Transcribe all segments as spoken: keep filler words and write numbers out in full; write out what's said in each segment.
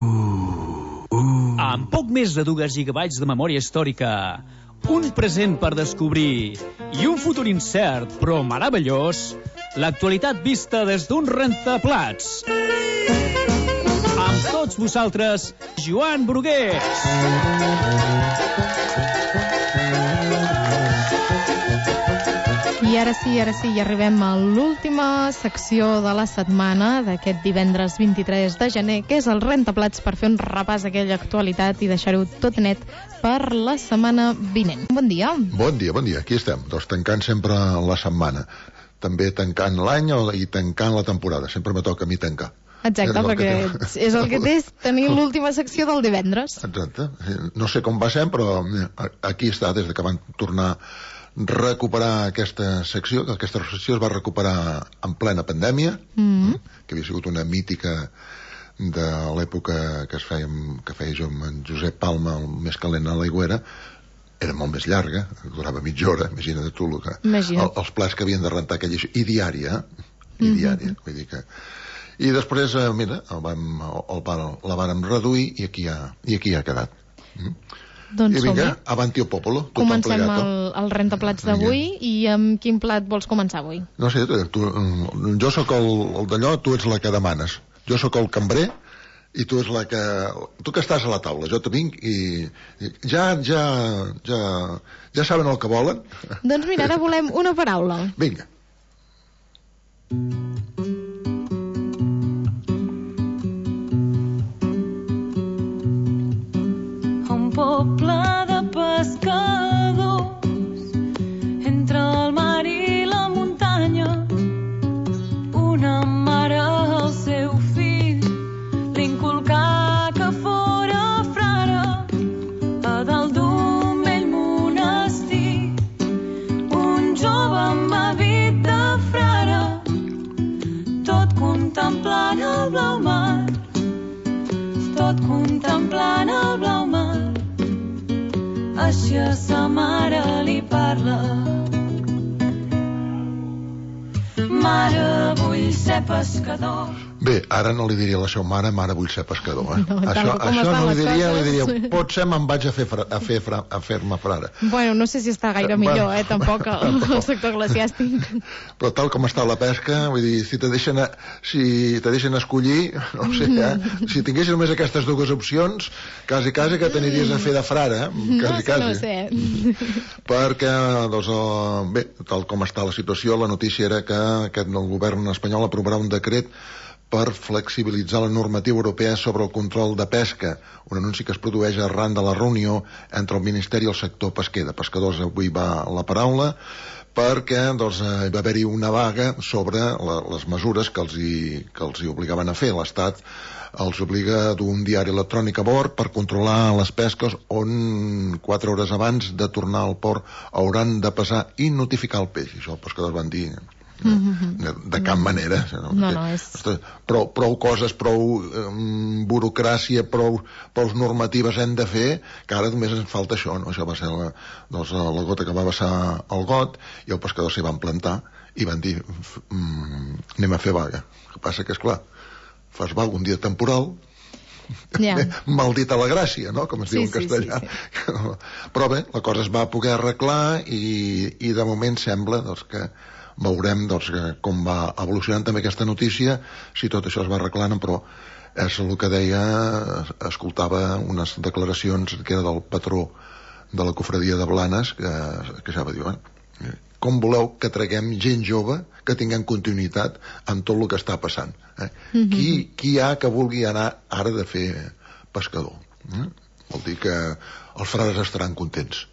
Amb poc més de dos gigabytes de memòria històrica, un present per descobrir i un futur incert però meravellós, l'actualitat vista des d'un rentaplats. Amb tots vosaltres, Joan Brugués. I ara sí, ara sí, ja arribem a l'última secció de la setmana d'aquest divendres vint-i-tres de gener, que és el rentaplats, per fer un repàs a aquella actualitat i deixar-ho tot net per la setmana vinent. Bon dia. Bon dia, bon dia. Aquí estem, doncs tancant sempre la setmana. També tancant l'any i tancant la temporada. Sempre me toca a mi tancar. Exacte, és perquè és el que té tenir l'última secció del divendres. Exacte. No sé com va ser, però aquí està, des de que van tornar recuperar aquesta secció, que aquesta secció es va recuperar en plena pandèmia, mm-hmm. que havia sigut una mítica de l'època que es feia, que feia jo amb en Josep Palma, el més calent a l'aigüera. Era molt més llarga, durava mitja hora, imagina't tu el que, el, els plats que havien de rentar aquella, i diària, i diària, mm-hmm. vull dir que... I després, eh, mira, el vam, el, el, la vàrem reduir i aquí ha, i aquí ha quedat. Mm? Doncs I vinga, avanti el popolo. Comencem el, el rentaplats d'avui. I amb quin plat vols començar avui? No sé, tu, jo sóc el, el d'allò, tu ets la que demanes. Jo sóc el cambrer i tu ets la que... Tu que estàs a la taula, jo te vinc i... i ja, ja, ja, ja saben el que volen. Doncs mira, ara volem una paraula. Vinga. Poble de pescadors, entre el mar i la muntanya, una mare al seu fill li inculcà que fora frare a dalt d'un vell monestir. Un jove amb hàbit de frare, tot contemplant el blau mar, tot contemplant el blau mar. Així a sa mare li parla: mare, vull ser pescador. Bé, ara no li diria a la seva mare, mare, vull ser pescador, eh? No, això això no li diria, li diria, coses. potser me'n vaig a fer fra, a fer fra, a fer-me frare. Bueno, no sé si està gaire Eh, millor, bueno, eh, tampoc, el, el sector eclesiàstic. Però tal com està la pesca, vull dir, si te deixen, a, si te deixen escollir, no sé, eh? Si tinguessis només aquestes dues opcions, quasi, quasi que t'aniries a fer de frare, eh? Quasi, no, quasi. no sé. Perquè, doncs, el, bé, tal com està la situació, la notícia era que aquest, el govern espanyol aprovarà un decret per flexibilitzar la normativa europea sobre el control de pesca, un anunci que es produeix arran de la reunió entre el Ministeri i el sector pesquer. De pescadors avui va la paraula, perquè doncs, hi va haver-hi una vaga sobre la, les mesures que els, hi, que els hi obligaven a fer. L'Estat els obliga a dur un diari electrònic a bord per controlar les pesques, on quatre hores abans de tornar al port hauran de pesar i notificar el peix. Això els pescadors van dir... De, de cap manera, no, no, no, és... prou, prou coses, prou um, burocràcia, prou, prou normatives hem de fer, que ara només ens falta això, no? Això va ser la, doncs, la gota que va vessar el got, i el pescador s'hi van plantar i van dir mm, anem a fer vaga. El que passa que, esclar, fas vaga un dia temporal, yeah. Maldita la gràcia, no? Com es sí, diu en castellà. Sí, sí, sí. Però bé, la cosa es va poder arreglar i, i de moment sembla doncs, que veurem doncs, com va evolucionant també aquesta notícia, si tot això es va arreglant, però és el que deia, escoltava unes declaracions que era del patró de la cofradia de Blanes, que, que ja va dir, eh, com voleu que traguem gent jove que tinguem continuïtat amb tot el que està passant? Eh? Mm-hmm. Qui, qui hi ha que vulgui anar ara de fer pescador? Eh? Vol dir que els frares estaran contents.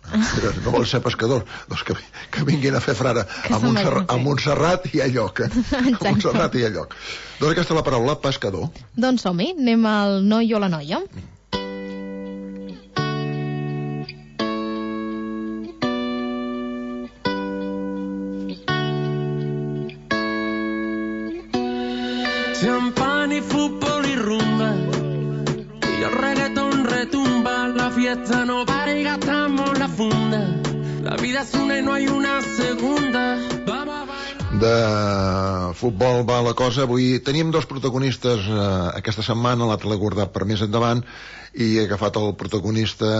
No volen ser pescadors, doncs que, que vinguin a fer frare a Montserrat, a Montserrat i a lloc. A Montserrat i a lloc. Doncs aquesta és la paraula, pescador. Doncs som-hi, anem al noi o la noia. Champán i futbol i rumba, y el reggaetón retumba. La fiesta no para y gastamos la funda. La vida es una y no hay una segunda. de futbol va la cosa. Avui teníem dos protagonistes eh, aquesta setmana, l'altre l'he guardat per més endavant, i he agafat el protagonista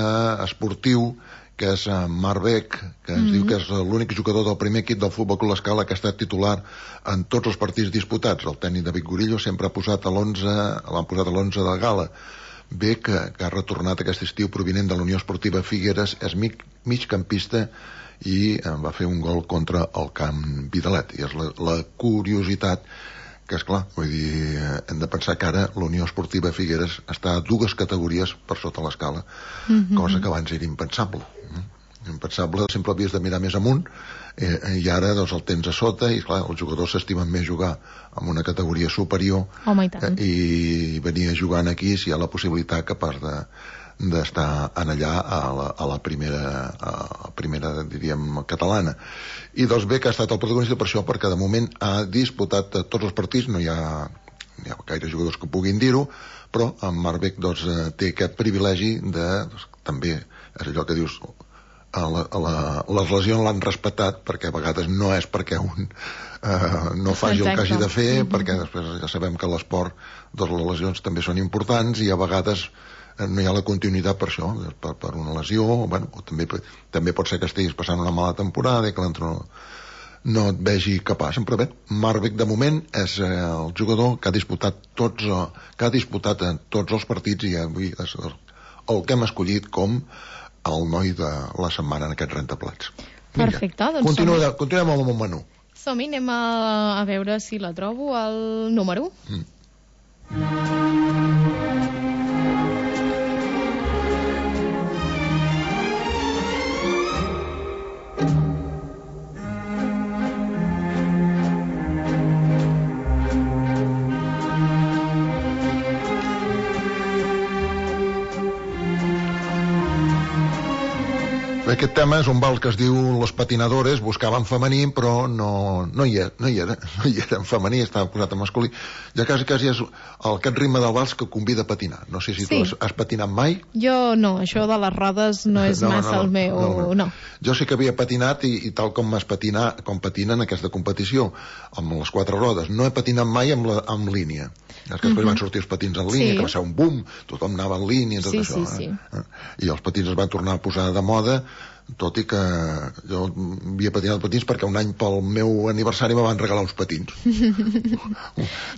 esportiu, que és Marc Beck, que ens mm-hmm. diu que és l'únic jugador del primer equip del Futbol Club L'Escala que ha estat titular en tots els partits disputats. El tècnic David Gorillo sempre ha posat a l'onze, l'han posat a l'onze de gala. Beck, que, que ha retornat aquest estiu provinent de la Unió Esportiva Figueres, és mig, migcampista i va fer un gol contra el Camp Vidalet. I és la, la curiositat que, és clar, vull dir, hem de pensar que ara la Unió Esportiva Figueres està a dues categories per sota l'Escala, mm-hmm. cosa que abans era impensable. Impensable, sempre havies de mirar més amunt, eh, i ara doncs, el tens a sota, i clar, els jugadors s'estimen més jugar en una categoria superior. Home, i tant. Eh, i venir jugant aquí si hi ha la possibilitat capaç de d'estar en allà a la, a la primera a la primera, diríem, catalana. I doncs bé que ha estat el protagonista per això, perquè de moment ha disputat tots els partits, no hi ha, no hi ha gaire jugadors que puguin dir-ho, però en Marc Beck doncs, té aquest privilegi de, doncs, també és allò que dius, a la, a la, les lesions l'han respectat, perquè a vegades no és perquè un eh, no faci el que hagi de fer, mm-hmm. perquè després ja sabem que a l'esport doncs, les lesions també són importants i a vegades no hi ha la continuïtat per això, per, per una lesió, bueno, o també, també pot ser que estiguis passant una mala temporada i que l'entrenador no et vegi capaç. Però bé, Marc Beck de moment és eh, el jugador que ha disputat tots, que ha disputat en tots els partits i avui és el que hem escollit com el noi de la setmana en aquests rentaplats. Perfecte, doncs Continua, som... continuem amb el menú. Som-hi, anem a, a veure si la trobo, el número u. Mm. Aquest tema és un vals que es diu Les patinadores, buscaven femení, però no, no, hi era, no, hi era, no hi era en femení, estava posat en masculí. Ja quasi, quasi és el, aquest ritme del vals que convida a patinar. No sé si sí. tu has, has patinat mai. Jo no, això de les rodes no és no, massa no, el meu... No, no. no. Jo sí que havia patinat i, i tal com es patina, com patinen aquesta competició, amb les quatre rodes. No he patinat mai amb, la, amb línia. És que després uh-huh. van sortir els patins en línia, sí. que va ser un boom, tothom anava en línia i tot sí, això. Sí, eh? sí. I els patins es van tornar a posar de moda, tot i que jo havia patinat patins perquè un any pel meu aniversari me van regalar uns patins.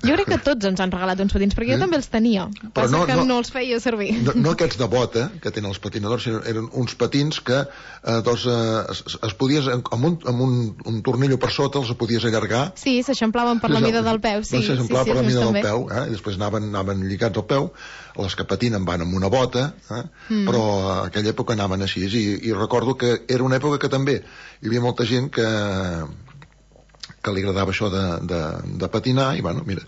Jo crec que tots ens han regalat uns patins, perquè jo eh? també els tenia, passa no, que no, no els feia servir. No, no aquests de bota, que tenen els patinadors, sinó eren uns patins que eh, doncs, eh, es, es podies, amb, un, amb un, un tornillo per sota els podies allargar. Sí, s'eixamplaven per la mida del peu. Sí, doncs s'eixamplaven sí, sí, per la mida també. del peu, eh? I després anaven, anaven lligats al peu. Les que patinen van amb una bota, eh? mm. però a aquella època anaven així, i, i recordo que era una època que també hi havia molta gent que, que li agradava això de, de, de patinar, i bueno, mira,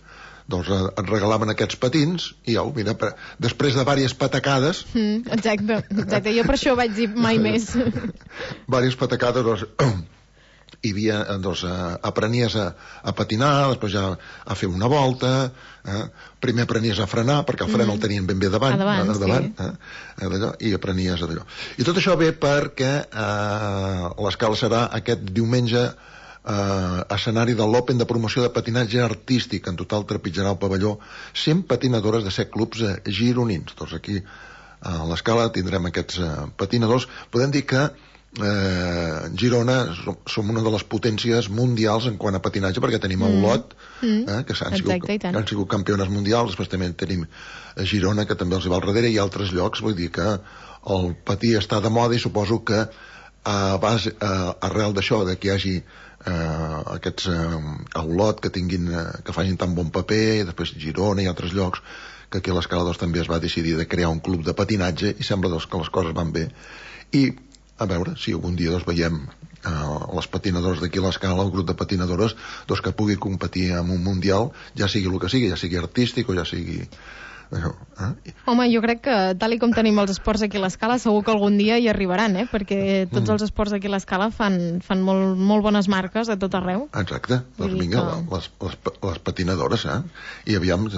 doncs et regalaven aquests patins, i au, mira, per, després de diverses patacades... Mm, exacte, exacte, jo per això vaig dir mai més. Diverses patacades, doncs... hi havia, doncs, aprenies a, a patinar, després ja a fer una volta, eh? Primer aprenies a frenar, perquè el fren mm. el tenien ben bé davant, a davant, a davant sí. eh? d'allò, i aprenies a d'allò. I tot això ve perquè eh, l'Escala serà aquest diumenge eh, escenari de l'Open de promoció de patinatge artístic. En total trepitjarà el pavelló cent patinadores de set clubs eh, gironins. Doncs aquí a l'Escala tindrem aquests eh, patinadors. Podem dir que Eh, Girona som, som una de les potències mundials en quant a patinatge, perquè tenim el Lot, mm. eh, que han sigut, que han sigut campiones mundials, després també tenim Girona, que també els hi va al darrere, i altres llocs. Vull dir que el patí està de moda, i suposo que a base, a, arrel d'això, de que hi hagi eh, aquests eh, Olot que tinguin, eh, que facin tan bon paper, i després Girona i altres llocs, que aquí a l'Escala doncs, també es va decidir de crear un club de patinatge, i sembla doncs, que les coses van bé. I a veure si algun dia doncs, veiem eh, les patinadores d'aquí a l'Escala, el grup de patinadores doncs, que pugui competir en un mundial, ja sigui el que sigui, ja sigui artístic o ja sigui Això, eh? Home, jo crec que tal i com tenim els esports aquí a l'Escala, segur que algun dia hi arribaran, eh? Perquè tots Mm. els esports aquí a l'Escala fan, fan molt, molt bones marques a tot arreu. Exacte, Vull doncs dir vinga, que- les, les, les patinadores, eh? I aviam,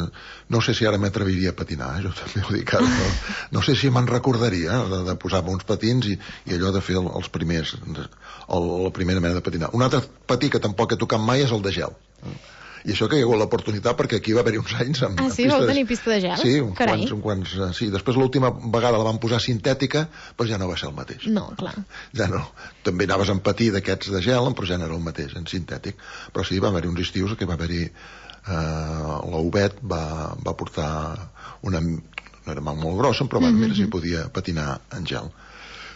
no sé si ara m'atreviria a patinar, eh? Jo també ho dic ara, no, no sé si me'n recordaria eh? de, de posar-me uns patins i, i allò de fer el, els primers, el, la primera manera de patinar. Un altre patí que tampoc he tocat mai és el de gel. I això que hi ha hagut l'oportunitat, perquè aquí va haver-hi uns anys amb, Ah, amb sí? pista Vau de- tenir pista de gel? Sí, uns Carai. quants, uns quants, eh, sí. Després l'última vegada la van posar sintètica, però ja no va ser el mateix. No, clar. Ja no. També anaves amb patí d'aquests de gel, però ja no era el mateix, en sintètic. Però sí, va haver-hi uns estius que va haver-hi... Eh, la U B E T va, va portar una... no era molt grossa, però bueno, mira, si podia patinar en gel.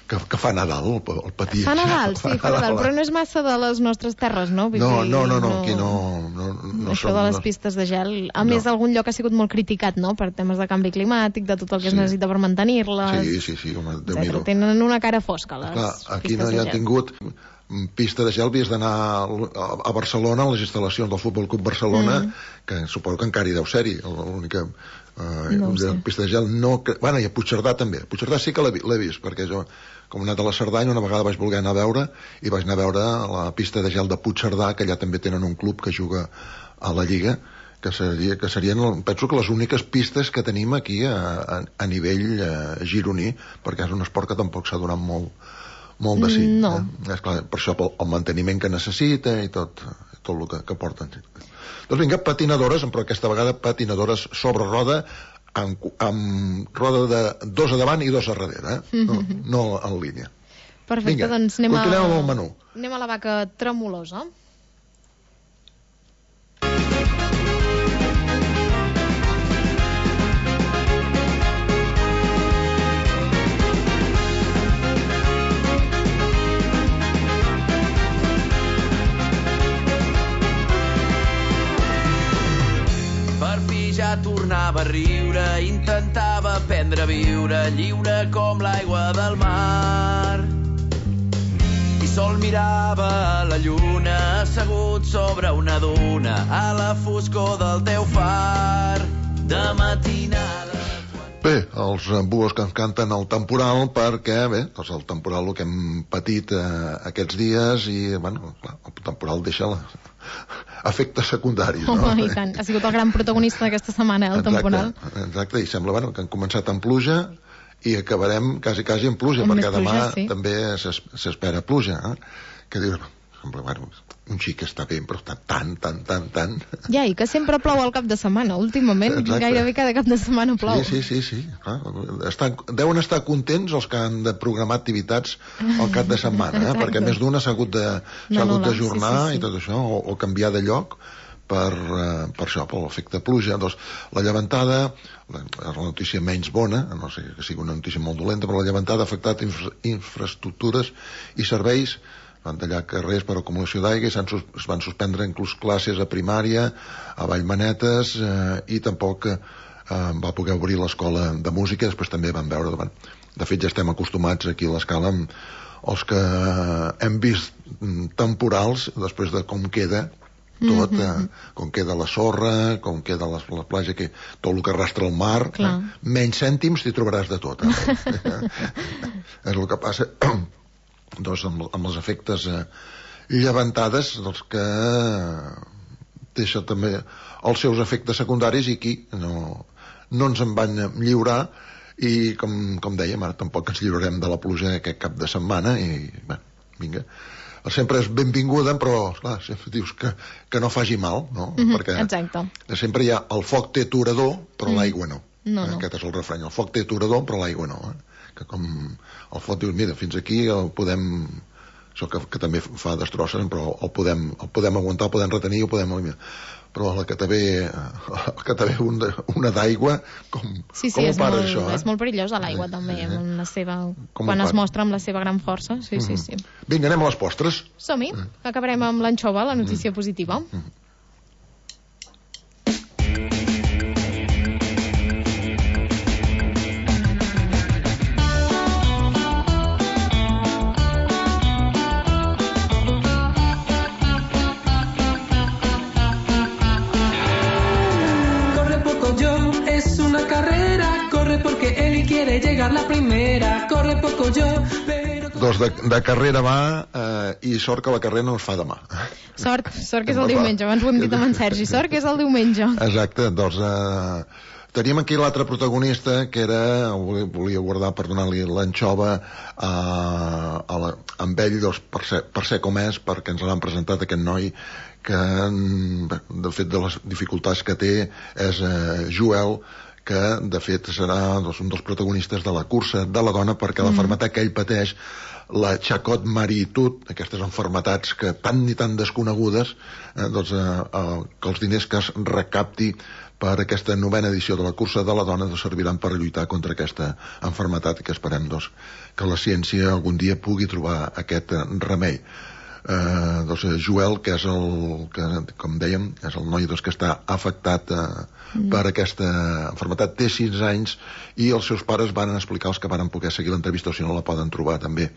Que, que fa Nadal, el, el patí. Fa en gel. Nadal, sí, fa Nadal, però no és massa de les nostres terres, no? Vull No, dir, no, no, no, aquí no... no, no Això som- de les no- pistes de gel, a No. més algun lloc ha sigut molt criticat, no?, per temes de canvi climàtic, de tot el que es Sí. necessita per mantenir-les, Sí, sí, sí, home, etcètera. Déu-n'hi-do. Tenen una cara fosca, les Clar, aquí pistes no hi de ha gel. tingut pista de gel, havies d'anar a a Barcelona, a les instal·lacions del Futbol Club Barcelona, Mm. que suposo que encara hi deu ser-hi, l'única eh, No ho sé. pista de gel. No, que, bueno, i a Puigcerdà també. A Puigcerdà sí que l'he vi- l'he vist, perquè jo, com he anat a la Cerdanya, una vegada vaig voler anar a veure, i vaig anar a veure la pista de gel de Puigcerdà, que allà també tenen un club que juga a la Lliga, que, seria, que serien, penso que les úniques pistes que tenim aquí a, a, a nivell eh, gironí, perquè és un esport que tampoc s'ha donat molt, molt de sí. No. Eh? Esclar, per això pel, el manteniment que necessita i tot, tot el que, que porten. Doncs vinga, patinadores, però aquesta vegada patinadores sobre roda, amb, amb roda de dos a davant i dos a darrere, eh? no, no en línia. Perfecte, Vinga, doncs anem a... continuem amb el menú. Anem a la vaca tremolosa. Per fi ja tornava a riure, intentava aprendre a viure lliure com l'aigua del mar. I sol mirava la lluna assegut sobre una duna a la foscor del teu far de matinada. Bé, els eh, buos que ens canten el temporal, perquè, bé, doncs el temporal el que hem patit eh, aquests dies i, bueno, clar, el temporal deixa la... efectes secundaris, no? Home, i tant. Ha sigut el gran protagonista d'aquesta setmana, el exacte, temporal. Exacte, i sembla, bueno, que han començat amb pluja i acabarem quasi, quasi amb pluja, Amb perquè més demà pluja, sí. també s'es- s'espera pluja, eh? Que dius, sembla, bueno, un xic està bé, però tant, tant, tant, tant, tant... Ja, i que sempre plou al cap de setmana. Últimament, Exacte. gairebé cada cap de setmana plou. Sí, sí, sí, sí. Clar, estan, deuen estar contents els que han de programar activitats al cap de setmana, eh? Exacte. Perquè més d'una s'ha hagut de, s'ha hagut D'anul·lar, d'ajornar sí, sí, sí. i tot això, o, o canviar de lloc per, eh, per això, per l'efecte pluja. Doncs la llevantada, la, és la notícia menys bona, no sé que sigui una notícia molt dolenta, però la llevantada ha afectat infra, infraestructures i serveis, van tallar carrers per acumulació d'aigua i s'han sus, es van suspendre inclús classes a primària, a Vallmanetes, eh, i tampoc eh, va poder obrir l'escola de música. Després també van veure, bueno, de fet ja estem acostumats aquí a l'Escala amb els que hem vist mm, temporals després de com queda tot, eh, com queda la sorra, com queda la, la platja, que, tot el que arrastra el mar, eh? Clar. Menys cèntims t'hi trobaràs de tot, eh? És el que passa doncs amb, amb els efectes eh, llevantades dels que deixa també els seus efectes secundaris, i aquí no, no ens en van lliurar, i com, com dèiem, ara tampoc ens lliurarem de la pluja aquest cap de setmana, i bé, vinga, sempre és benvinguda, però esclar, sempre dius que, que no faci mal, no? Mhm, Perquè exacte. sempre hi ha el foc té aturador, però Mm. l'aigua no. No, no. Aquest és el refrany, el foc té aturador, però l'aigua no. Eh? Que com el foc dius, mira, fins aquí el podem... Això que, que també fa destrosses, però el podem, el podem aguantar, el podem retenir, el podem eliminar. Però la que te ve, el que te ve un de, una d'aigua, com, Sí, sí, com ho és para molt, això? Eh? és molt perillosa l'aigua, també, eh? amb la seva, Com quan ho es fan? mostra amb la seva gran força. Sí, sí, sí. Vinga, anem a les postres. Som-hi, acabarem amb l'anxova, la notícia positiva. Corre poco yo, es una carrera que él y quiere llegar la primera. Corre poco yo, pero... Doncs de, de carrera va, eh, i sort que la carrera no es fa demà. Sort, sort que és el diumenge, abans ho hem dit amb en Sergi, sort que és el diumenge. Exacte, doncs eh, teníem aquí l'altre protagonista, que era, volia guardar per donar-li l'anxova a, a, la, a ell, doncs, per, ser, per ser com és, perquè ens l'han presentat aquest noi, que de fet de les dificultats que té és eh, Joel, que de fet serà doncs, un dels protagonistes de la cursa de la dona, perquè mm. la malaltia que ell pateix, la Charcot-Marie-Tooth, aquestes malalties que tan ni tan desconegudes, eh, doncs, eh, eh, que els diners que es recapti per aquesta novena edició de la cursa de la dona doncs, serviran per lluitar contra aquesta malaltia, que esperem doncs, que la ciència algun dia pugui trobar aquest remei. Eh, doncs, Joel, que és el que, com dèiem, és el noi doncs, que està afectat eh, mm. per aquesta malaltia, té sis anys, i els seus pares van explicar, els que van poder seguir l'entrevista, o si no la poden trobar també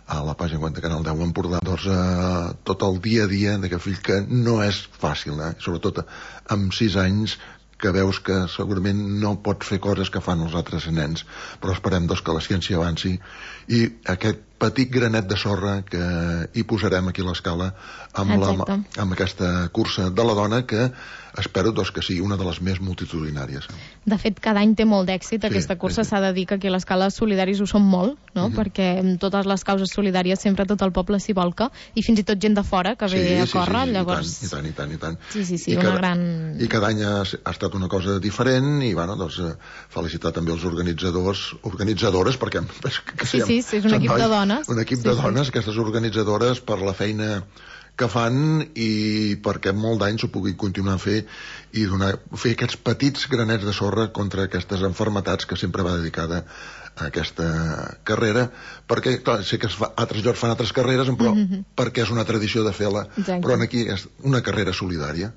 a la pàgina web de Canal deu Empordà, doncs eh, tot el dia a dia d'aquest fill, que no és fàcil, eh? Sobretot amb sis anys, que veus que segurament no pot fer coses que fan els altres nens, però esperem doncs, que la ciència avanci, i aquest petit granet de sorra que hi posarem aquí a l'escala amb, la, amb aquesta cursa de la dona, que espero doncs, que sigui una de les més multitudinàries. De fet, cada any té molt d'èxit sí, aquesta cursa, s'ha sí. de dir que aquí a l'escala solidaris ho són molt, no? Mm-hmm. Perquè amb totes les causes solidàries sempre tot el poble s'hi volca, i fins i tot gent de fora que ve sí, a córrer, sí, sí, llavors... I tant, i tant, i tant. Sí, sí, sí, I una cada, gran... I cada any ha, ha estat una cosa diferent, i bueno, doncs, felicitar també els organitzadors, organitzadores, perquè... Que sí, sí, sí, és un equip nois, de dones. Un equip sí, de dones, sí. Aquestes organitzadores, per la feina que fan, i perquè molt d'anys ho puguin continuar a fer, i donar, fer aquests petits granets de sorra contra aquestes malalties que sempre va dedicada a aquesta carrera, perquè clar, sé que es fa, altres llocs fan altres carreres, però mm-hmm. perquè és una tradició de fer-la, però aquí és una carrera solidària.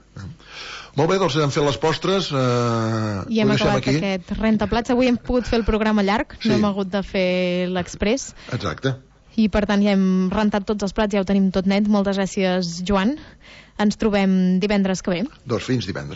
Molt bé, doncs hem fet les postres, eh, i hem acabat aquí. Aquest rentaplats. Avui hem pogut fer el programa llarg, sí. no hem hagut de fer l'express. Exacte. I per tant ja hem rentat tots els plats, ja ho tenim tot net. Moltes gràcies, Joan. Ens trobem divendres que ve. Doncs fins divendres.